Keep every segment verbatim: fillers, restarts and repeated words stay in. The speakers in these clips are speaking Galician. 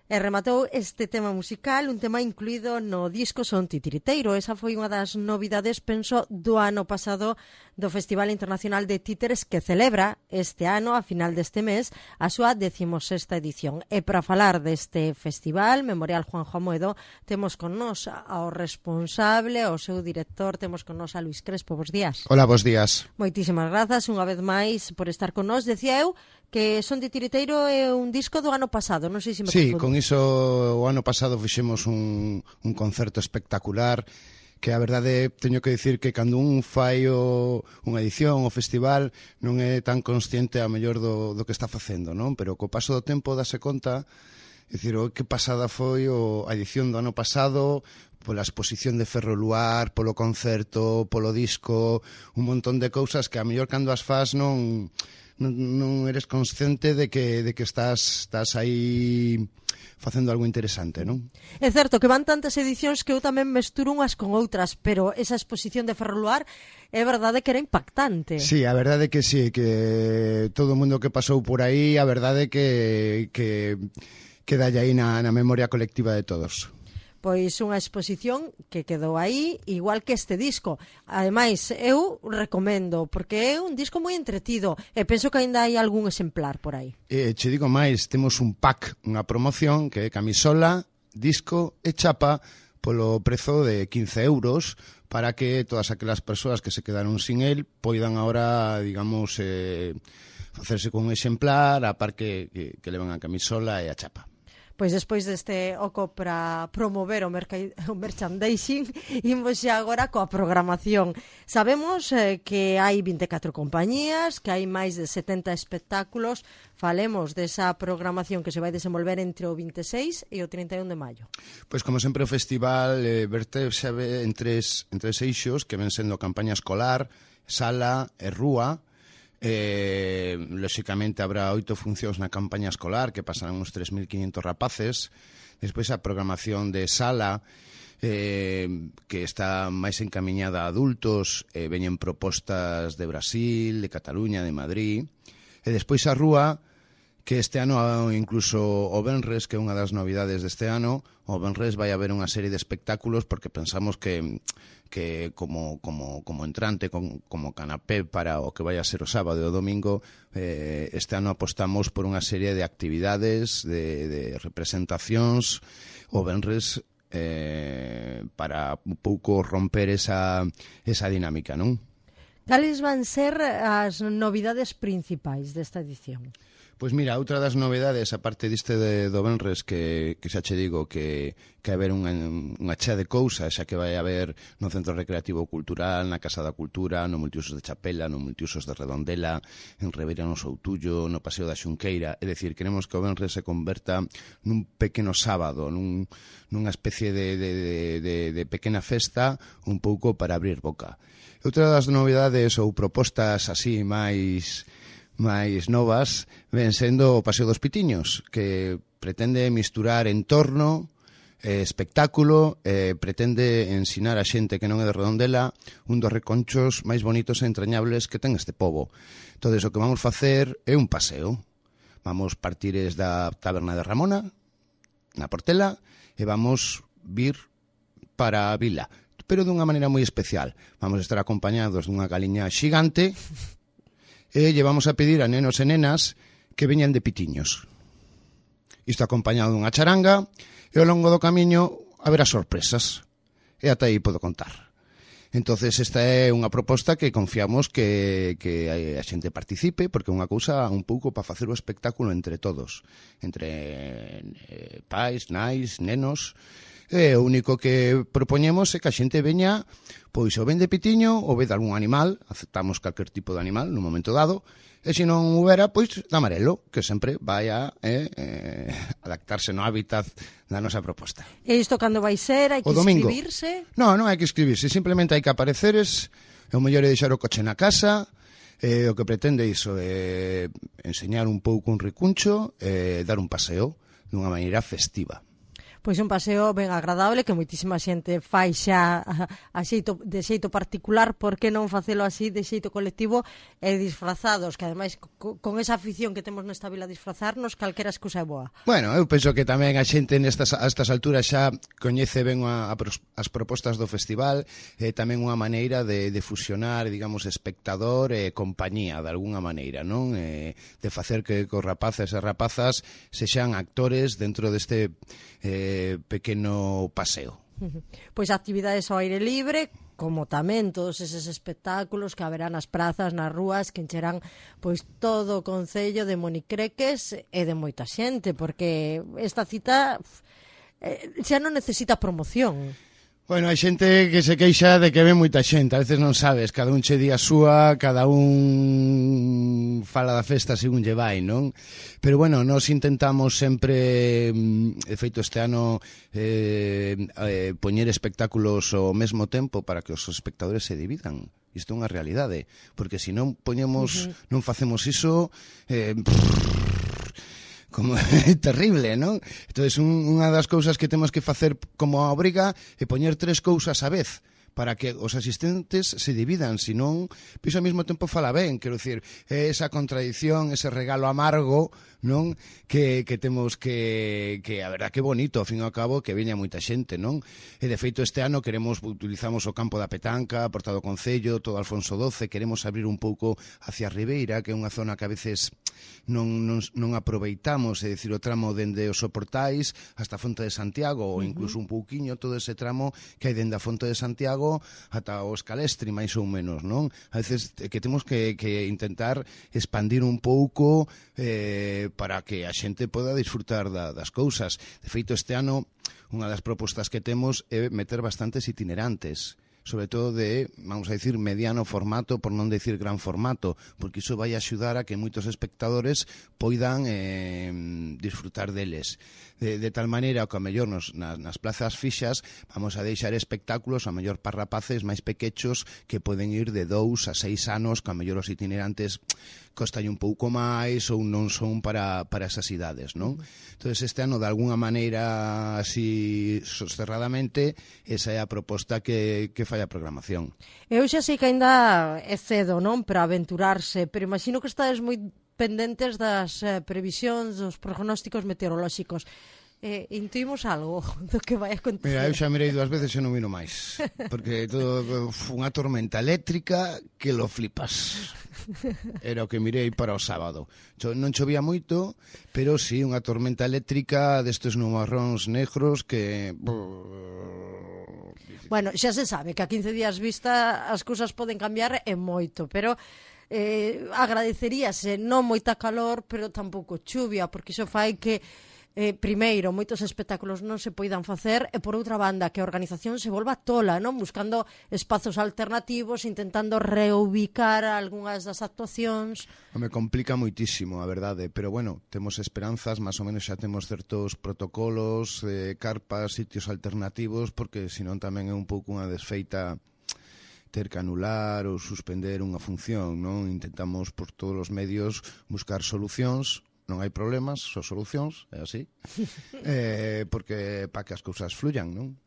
E rematou este tema musical, un tema incluído no disco Son Titiriteiro. Esa foi unha das novidades, penso, do ano pasado do Festival Internacional de Títeres que celebra este ano, a final deste mes, a súa decimosexta edición. E para falar deste festival, Memorial Juanjo Amoedo, temos con nós ao responsable, ao seu director, temos con nós a Luís Crespo. Bos días. Hola, bos días. Moitísimas grazas unha vez máis por estar con nós. Decía eu que Son Titiriteiro é un disco do ano pasado, non sei se me Sí, confundo. con iso o ano pasado fixemos un, un concerto espectacular que a verdade teño que dicir que cando un fai o, unha edición, o festival, non é tan consciente a mellor do, do que está facendo, non? Pero co paso do tempo dase conta, é dicir, o que pasada foi o, a edición do ano pasado, pola exposición de Ferroluar, polo concerto, polo disco, un montón de cousas que a mellor cando as fas non... Non, non eres consciente de que, de que estás, estás aí facendo algo interesante, non? É certo que van tantas edicións que eu tamén mesturo unhas con outras, pero esa exposición de Ferroluar é verdade que era impactante. Sí, a verdade que sí, que todo o mundo que pasou por aí, a verdade que que queda aí na, na memoria colectiva de todos. Pois unha exposición que quedou aí, igual que este disco. Ademais, eu recomendo, porque é un disco moi entretido, e penso que aínda hai algún exemplar por aí. E che digo máis, temos un pack, unha promoción, que é camisola, disco e chapa, polo prezo de quince euros, para que todas aquelas persoas que se quedaron sin el poidan agora, digamos, eh, facerse con un exemplar, a par que, que, que levan a camisola e a chapa. Pois despois deste oco para promover o, o merchandising, imos xa agora coa programación. Sabemos eh, que hai vinte e catro compañías, que hai máis de setenta espectáculos. Falemos desa programación que se vai desenvolver entre o vinte e seis e o trinta e un de maio. Pois como sempre o festival eh, vertese en tres, en tres eixos, que ven sendo campaña escolar, sala e rúa. Eh, lóxicamente habrá oito funcións na campaña escolar que pasarán uns tres mil quinhentos rapaces. Despois a programación de sala eh, que está máis encamiñada a adultos, eh, veñen propostas de Brasil, de Cataluña, de Madrid. E despois a rúa, que este ano incluso o Benres, que é unha das novidades deste ano, o Benres vai haber unha serie de espectáculos porque pensamos que que como como como entrante, como, como canapé para o que vai a ser o sábado e o domingo, eh, este ano apostamos por unha serie de actividades, de, de representacións, o Benres eh, para un pouco romper esa, esa dinámica, non? Cales van ser as novidades principais desta edición? Pois mira, outra das novedades, aparte diste de, do Benres, que, que xa che digo que, que vai haber unha, unha chea de cousas, xa que vai haber no Centro Recreativo Cultural, na Casa da Cultura, no Multiusos de Chapela, no Multiusos de Redondela, en Ribeira no Soutullo, no Paseo da Xunqueira. É dicir, queremos que o Benres se converta nun pequeno sábado, nun, nunha especie de, de, de, de, de pequena festa, un pouco para abrir boca. Outra das novidades ou propostas así máis... máis novas ven sendo o Paseo dos Pitiños, que pretende misturar entorno, eh, espectáculo, eh, pretende ensinar a xente que non é de Redondela un dos reconchos máis bonitos e entrañables que ten este pobo. Todo iso que vamos facer é un paseo. Vamos partires da taberna de Ramona, na Portela, e vamos vir para a vila, pero dunha maneira moi especial. Vamos estar acompañados dunha galiña xigante e lle vamos a pedir a nenos e nenas que veñan de Pitiños. Isto acompañado dunha charanga, e ao longo do camiño haberá sorpresas. E ata aí podo contar. Entonces esta é unha proposta que confiamos que, que a xente participe, porque é unha cousa un pouco para facer o espectáculo entre todos. Entre eh, pais, nais, nenos. E o único que propoñemos é que a xente veña, pois ou ven de Pitiño ou ve de algún animal, aceptamos calquer tipo de animal no momento dado, e se non houbera, pois de amarelo, que sempre vai a eh, eh, adaptarse no hábitat da nosa proposta. E isto cando vai ser? Hai que inscribirse? Non, non hai que inscribirse, simplemente hai que apareceres, é o mellor é deixar o coche na casa, eh, o que pretende iso é enseñar un pouco un recuncho e dar un paseo dunha maneira festiva. Pois un paseo ben agradable que moitísima xente fai xa a xeito, de xeito particular, por que non facelo así de xeito colectivo e disfrazados, que ademais co, con esa afición que temos nesta vila a disfrazarnos, calquera excusa é boa. Bueno, eu penso que tamén a xente nestas, a estas alturas xa coñece ben a, a, as propostas do festival, e eh, tamén unha maneira de, de fusionar, digamos, espectador e compañía, de alguna maneira, non? Eh, de facer que os rapaces e rapazas sexan actores dentro deste eh, pequeno paseo. Pois actividades ao aire libre, como tamén todos eses espectáculos que haberá nas prazas, nas rúas, que encherán pois todo o concello de Monicreques e de moita xente, porque esta cita eh, xa non necesita promoción. Bueno, hai xente que se queixa de que ve moita xente, a veces non sabes, cada un che di a súa, cada un fala da festa según lle vai, non? Pero bueno, nós intentamos sempre, de feito este ano, eh, eh, poñer espectáculos ao mesmo tempo para que os espectadores se dividan. Isto é unha realidade, porque se non poñemos, uh-huh. non facemos iso, eh, como é terrible, non? Entón, un, unha das cousas que temos que facer como a obriga é poñer tres cousas á vez para que os asistentes se dividan, senón, pois ao mesmo tempo fala ben, quero dicir, esa contradición, ese regalo amargo, non? Que, que temos que, que a verdad que bonito, ao fin e ao cabo, que veña moita xente, non? E de feito este ano queremos, utilizamos o campo da Petanca, a Porta do Concello, todo Alfonso doce, queremos abrir un pouco hacia a Ribeira, que é unha zona que a veces non, non, non aproveitamos, é dicir, o tramo dende os Soportais hasta a Fonte de Santiago, ou incluso un pouquiño todo ese tramo que hai dende a Fonte de Santiago ata o Escalestri, máis ou menos, non? A veces que temos que, que intentar expandir un pouco eh, para que a xente poda disfrutar da, das cousas. De feito, este ano, unha das propostas que temos é meter bastantes itinerantes, sobre todo de, vamos a decir, mediano formato, por non decir gran formato, porque iso vai axudar a que moitos espectadores poidan eh, disfrutar deles. De, de tal maneira que, a mellor, nos, nas, nas plazas fixas vamos a deixar espectáculos, a mellor para rapaces máis pequechos que poden ir de dous a seis anos, que a mellor os itinerantes costan un pouco máis ou non son para, para esas idades, non? Entón, este ano, de alguna maneira, así, sosterradamente, esa é a proposta que, que fai a programación. Eu xa sei que ainda é cedo, non, para aventurarse, pero imagino que estades moi pendentes das eh, previsións, dos prognósticos meteorolóxicos. Eh, intuimos algo do que vai acontecer? Mira, eu xa mirei dúas veces e non miro máis, porque todo unha tormenta eléctrica que lo flipas. Era o que mirei para o sábado. Non chovía moito, pero sí unha tormenta eléctrica destes nubarróns negros que... Bueno, xa se sabe que a quince días vista as cousas poden cambiar e moito, pero eh, agradeceríase non moita calor, pero tampouco chuvia, porque iso fai que Eh, primeiro, moitos espectáculos non se poidan facer e, por outra banda, que a organización se volva tola, non? Buscando espazos alternativos, intentando reubicar algunhas das actuacións. Me complica moitísimo, a verdade, pero bueno, temos esperanzas, máis ou menos xa temos certos protocolos, eh, carpas, sitios alternativos, porque senón tamén é un pouco unha desfeita ter que anular ou suspender unha función, non? Intentamos por todos os medios buscar solucións. Non hai problemas, só solucións, é así, eh, porque para que as cousas fluyan, non?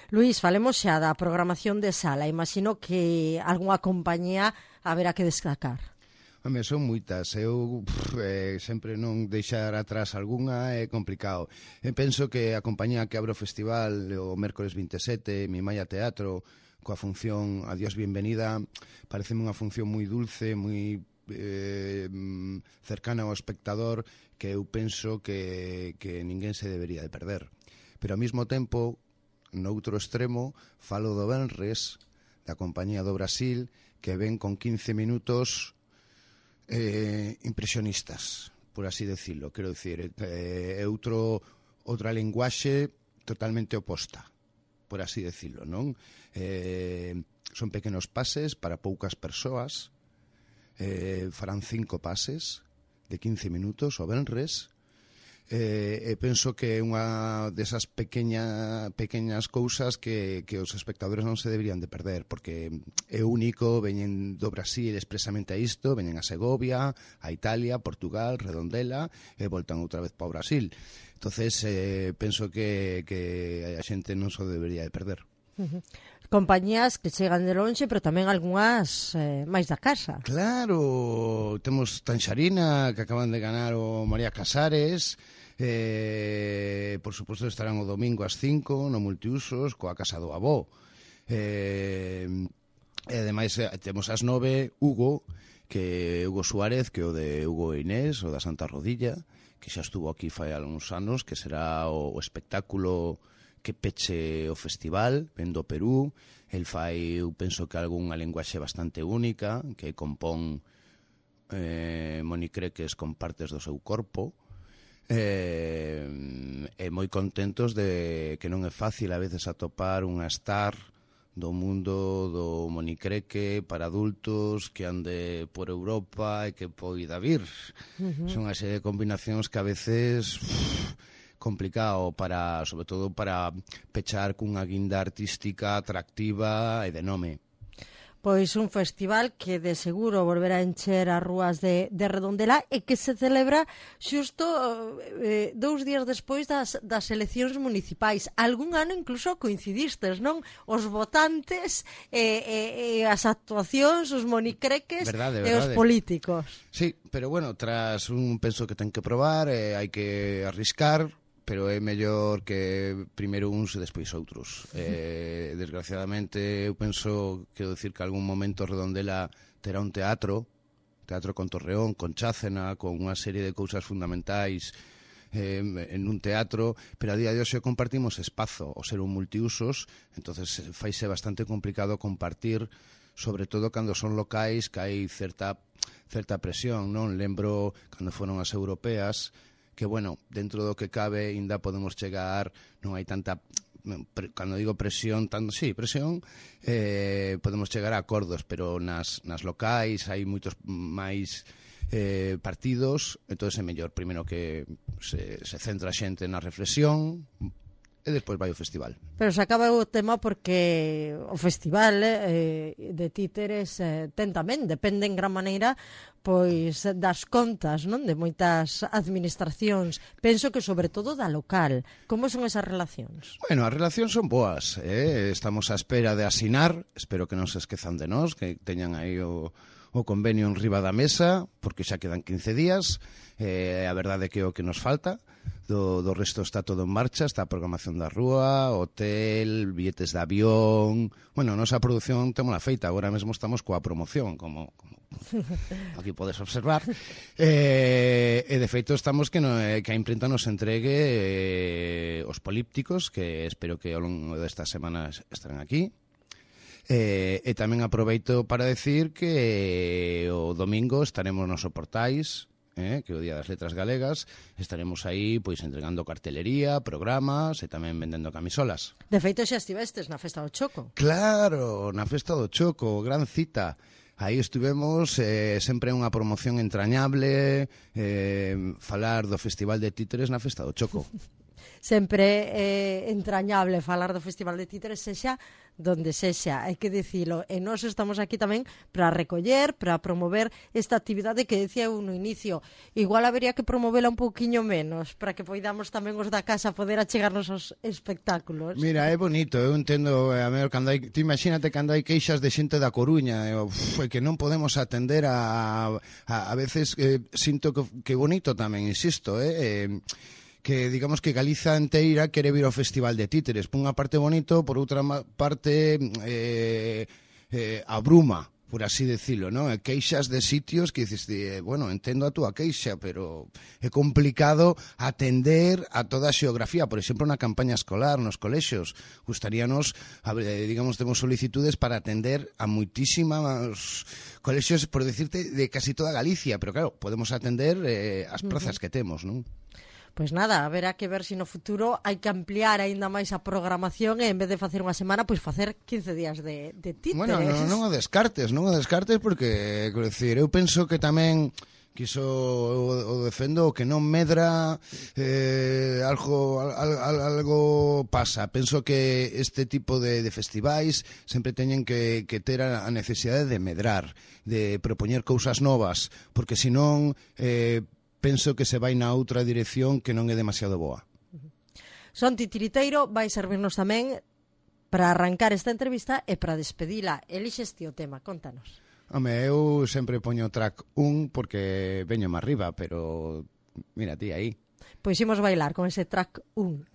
Luís, falemos xa da programación de sala. Imagino que algunha compañía haberá que destacar. Home, son moitas. Eu pff, eh, sempre non deixar atrás algunha é complicado. Eu penso que a compañía que abre o festival o mércores vinte e sete, Mi Maya Teatro, coa función Adiós Bienvenida, pareceme unha función moi dulce, moi Eh, cercana ao espectador, que eu penso que, que ninguén se debería de perder. Pero ao mesmo tempo, no outro extremo, falo do Venres, da compañía do Brasil, que ven con quince minutos eh, impresionistas, por así decirlo. Quero dicir, é eh, outro, outra linguaxe totalmente oposta, por así decirlo, non? Eh, son pequenos pases para poucas persoas. Eh, farán cinco pases de quince minutos o venres, Eh, e penso que é unha desas pequeña, pequeñas cousas que, que os espectadores non se deberían de perder, porque é único, veñen do Brasil expresamente a isto, veñen a Segovia, a Italia, Portugal, Redondela, e voltan outra vez para o Brasil. Entonces, eh, penso que, que a xente non se debería de perder. Uh-huh. Compañías que chegan de lonxe, pero tamén algunhas eh, máis da casa. Claro, temos Tanxarina, que acaban de ganar o María Casares. Eh, por suposto estarán o domingo ás cinco no Multiusos coa Casa do Avó. Eh, e ademais temos ás nove Hugo, que Hugo Suárez, que é o de Hugo e Inés, o da Santa Rodilla, que xa estuvo aquí fai algúns anos, que será o, o espectáculo que peche o festival, ven do Perú. El fai, eu penso que algunha linguaxe bastante única, que compón eh, monicreques con partes do seu corpo. Eh, e moi contentos de que non é fácil a veces atopar unha star do mundo do monicreque para adultos que ande por Europa e que poida vir. Uh-huh. Son unha serie de combinacións que a veces uff, complicado para, sobre todo para pechar cunha guinda artística atractiva e de nome. Pois un festival que de seguro volverá a encher as rúas de, de Redondela e que se celebra xusto eh, dous días despois das, das eleccións municipais. Algún ano incluso coincidistes, non? Os votantes e, e, e as actuacións, os monicreques verdade, verdade. E os políticos. Sí, pero bueno, tras un penso que ten que probar, eh, hai que arriscar, pero é mellor que primeiro uns e despois outros. Eh, desgraciadamente, eu penso, quero dicir que algún momento Redondela terá un teatro, teatro con Torreón, con Chácena, con unha serie de cousas fundamentais eh, en un teatro, pero a día de hoxe compartimos espazo, o ser un multiusos, entonces faise bastante complicado compartir, sobre todo cando son locais que hai certa, certa presión, non? Lembro cando foron as europeas, que, bueno, dentro do que cabe ainda podemos chegar, non hai tanta, cando digo presión, tanto, sí, presión, eh, podemos chegar a acordos, pero nas, nas locais hai moitos máis eh, partidos, entón é mellor primeiro que se, se centra a xente na reflexión, e despois vai o festival. Pero se acaba o tema porque o festival eh, de títeres eh, ten tamén, depende en gran maneira pois das contas, non, de moitas administracións. Penso que sobre todo da local. Como son esas relacións? Bueno, as relacións son boas, eh? Estamos á espera de asinar, espero que non se esquezan de nós, que teñan aí o o convenio en riba da mesa, porque xa quedan quince días, eh, a verdade que é o que nos falta, do, do resto está todo en marcha, está a programación da rúa, hotel, billetes de avión, bueno, nosa produción témola feita, agora mesmo estamos coa promoción, como, como aquí podes observar, eh, e de feito estamos que, no, que a imprenta nos entregue eh, os polípticos, que espero que ao longo destas semanas estarán aquí. Eh, e tamén aproveito para decir que o domingo estaremos nos Portais, eh, que é o Día das Letras Galegas, estaremos aí pois entregando cartelería, programas e tamén vendendo camisolas. De feito xa estivestes na Festa do Choco. Claro, na Festa do Choco, gran cita. Aí estivemos, eh, sempre unha promoción entrañable, eh, falar do Festival de Títeres na Festa do Choco. Sempre é eh, entrañable falar do Festival de Títeres, sexa donde sexa, hai que dicilo, e nós estamos aquí tamén para recoller, para promover esta actividade que decía eu no inicio. Igual habería que promovela un pouquiño menos, para que poidamos tamén os da casa poder achegarnos aos espectáculos. Mira, é bonito, eu entendo, a ver, cando hai, ti imagínate cando hai queixas de xente da Coruña, e, uf, que non podemos atender a, a, a veces eh, sinto que, que bonito tamén, insisto, eh, eh que digamos que Galiza inteira quere vir ao Festival de Títeres. Por unha parte bonito, por outra parte eh, eh, abruma, por así decirlo, ¿no? Queixas de sitios que dices, eh, bueno, entendo a túa queixa, pero é complicado atender a toda a xeografía. Por exemplo, na campaña escolar, nos colexios, gustaríanos, eh, digamos, temos solicitudes para atender a moitísimos colexios, por decirte, de casi toda Galicia, pero claro, podemos atender eh, as prazas que temos, non? Pois nada, haberá que ver se no futuro hai que ampliar aínda máis a programación e en vez de facer unha semana, pois facer quince días de, de títeres. Bueno, non, non o descartes, non o descartes porque, quero dicir, eu penso que tamén que iso o, o defendo, o que non medra, eh, algo, al, al, algo pasa. Penso que este tipo de, de festivais sempre teñen que, que ter a, a necesidade de medrar, de propoñer cousas novas, porque senón eh, penso que se vai na outra dirección que non é demasiado boa. Son Titiriteiro vai servirnos tamén para arrancar esta entrevista e para despedila. Elixes ti o tema, contanos. Home, eu sempre poño track un porque veño máis arriba, pero mira ti aí. Pois imos bailar con ese track un.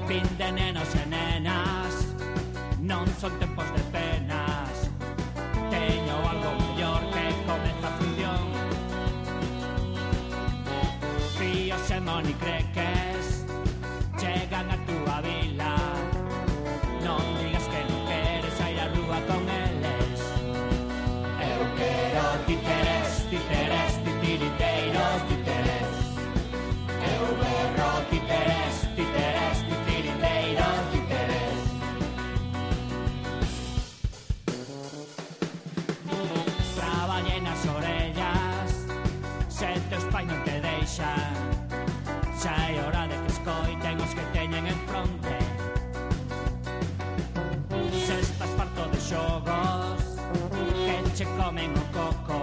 Fin de nenos e nenas, non son tempos de penas. Teño algo mellor que comeza a función. Fíos e monicreques chegan a túa vila. Non digas que non queres sair a rúa con eles. Eu quero títeres, títeres, titiriteiros, títeres. Eu berro títeres, títeres, titiriteiros, títeres. Traballei nas orellas, se teus pais non te deixan. Xa é hora de que escoiten os que teñen en fronte. Se estás farto de xogos que che comen o coco,